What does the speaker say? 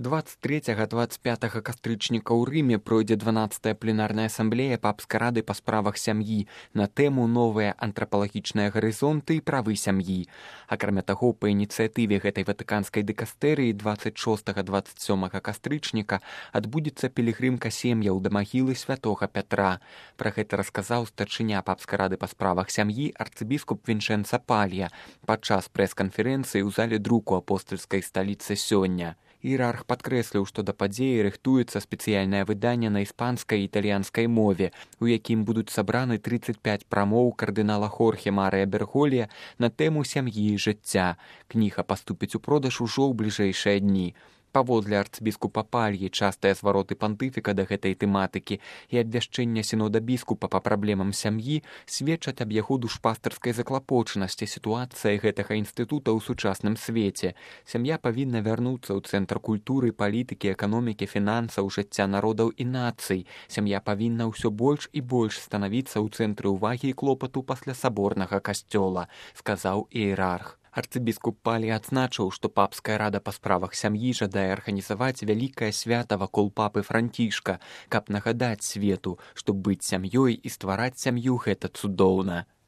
23-25 кастрычніка ў Рыме пройдзе 12-я пленарная асамблея папскай рады па справах сям'і на тэму «Новыя антрапалагічныя гарызонты і правы сям'і». Акрамя таго, па ініцыятыве гэтай ватыканскай дыкастэрыі 26-27 кастрычніка адбудзецца пілігрымка сем'яў да магілы святога Пятра. Пра гэта расказаў старшыня папскай рады па справах сям'і арцыбіскуп Вінчэнца Палья падчас прэс-канферэнцыі ў зале друку апостальскай сталіцы сёння. Іерарх падкрэсліў, што да падзеі рыхтуецца спецыяльнае выданне на іспанскай і італьянскай мове, у якім будуць сабраны 35 прамоў кардынала Хорхе Марыя Берголія на тэму сям'і і жыцця. Кніга паступіць у продаж ужо ў бліжэйшыя дні. Паводле арцыбіскупа Пальі, частыя звароты пантыфіка да гэтай тэматыкі і абвяшчэння сінода біскупа па праблемам сям'і сведчаць аб яго душпастарскай заклапочанасці сітуацыі гэтага інстытута ў сучасным свеце. Сям'я павінна вярнуцца ў цэнтр культуры, палітыкі, эканомікі, фінансаў, жыцця народаў і нацый. Сям'я павінна ўсё больш і больш станавіцца ў цэнтры ўвагі і клопату пасля саборнага касцёла, сказаў іерарх. Арцыбіскуп Палі адзначыў, што папская рада па справах сям'і жадае арганізаваць вялікае свята вакол папы Францішка, каб нагадаць свету, што быць сям'ёй і ствараць сям'ю гэта цудоўна.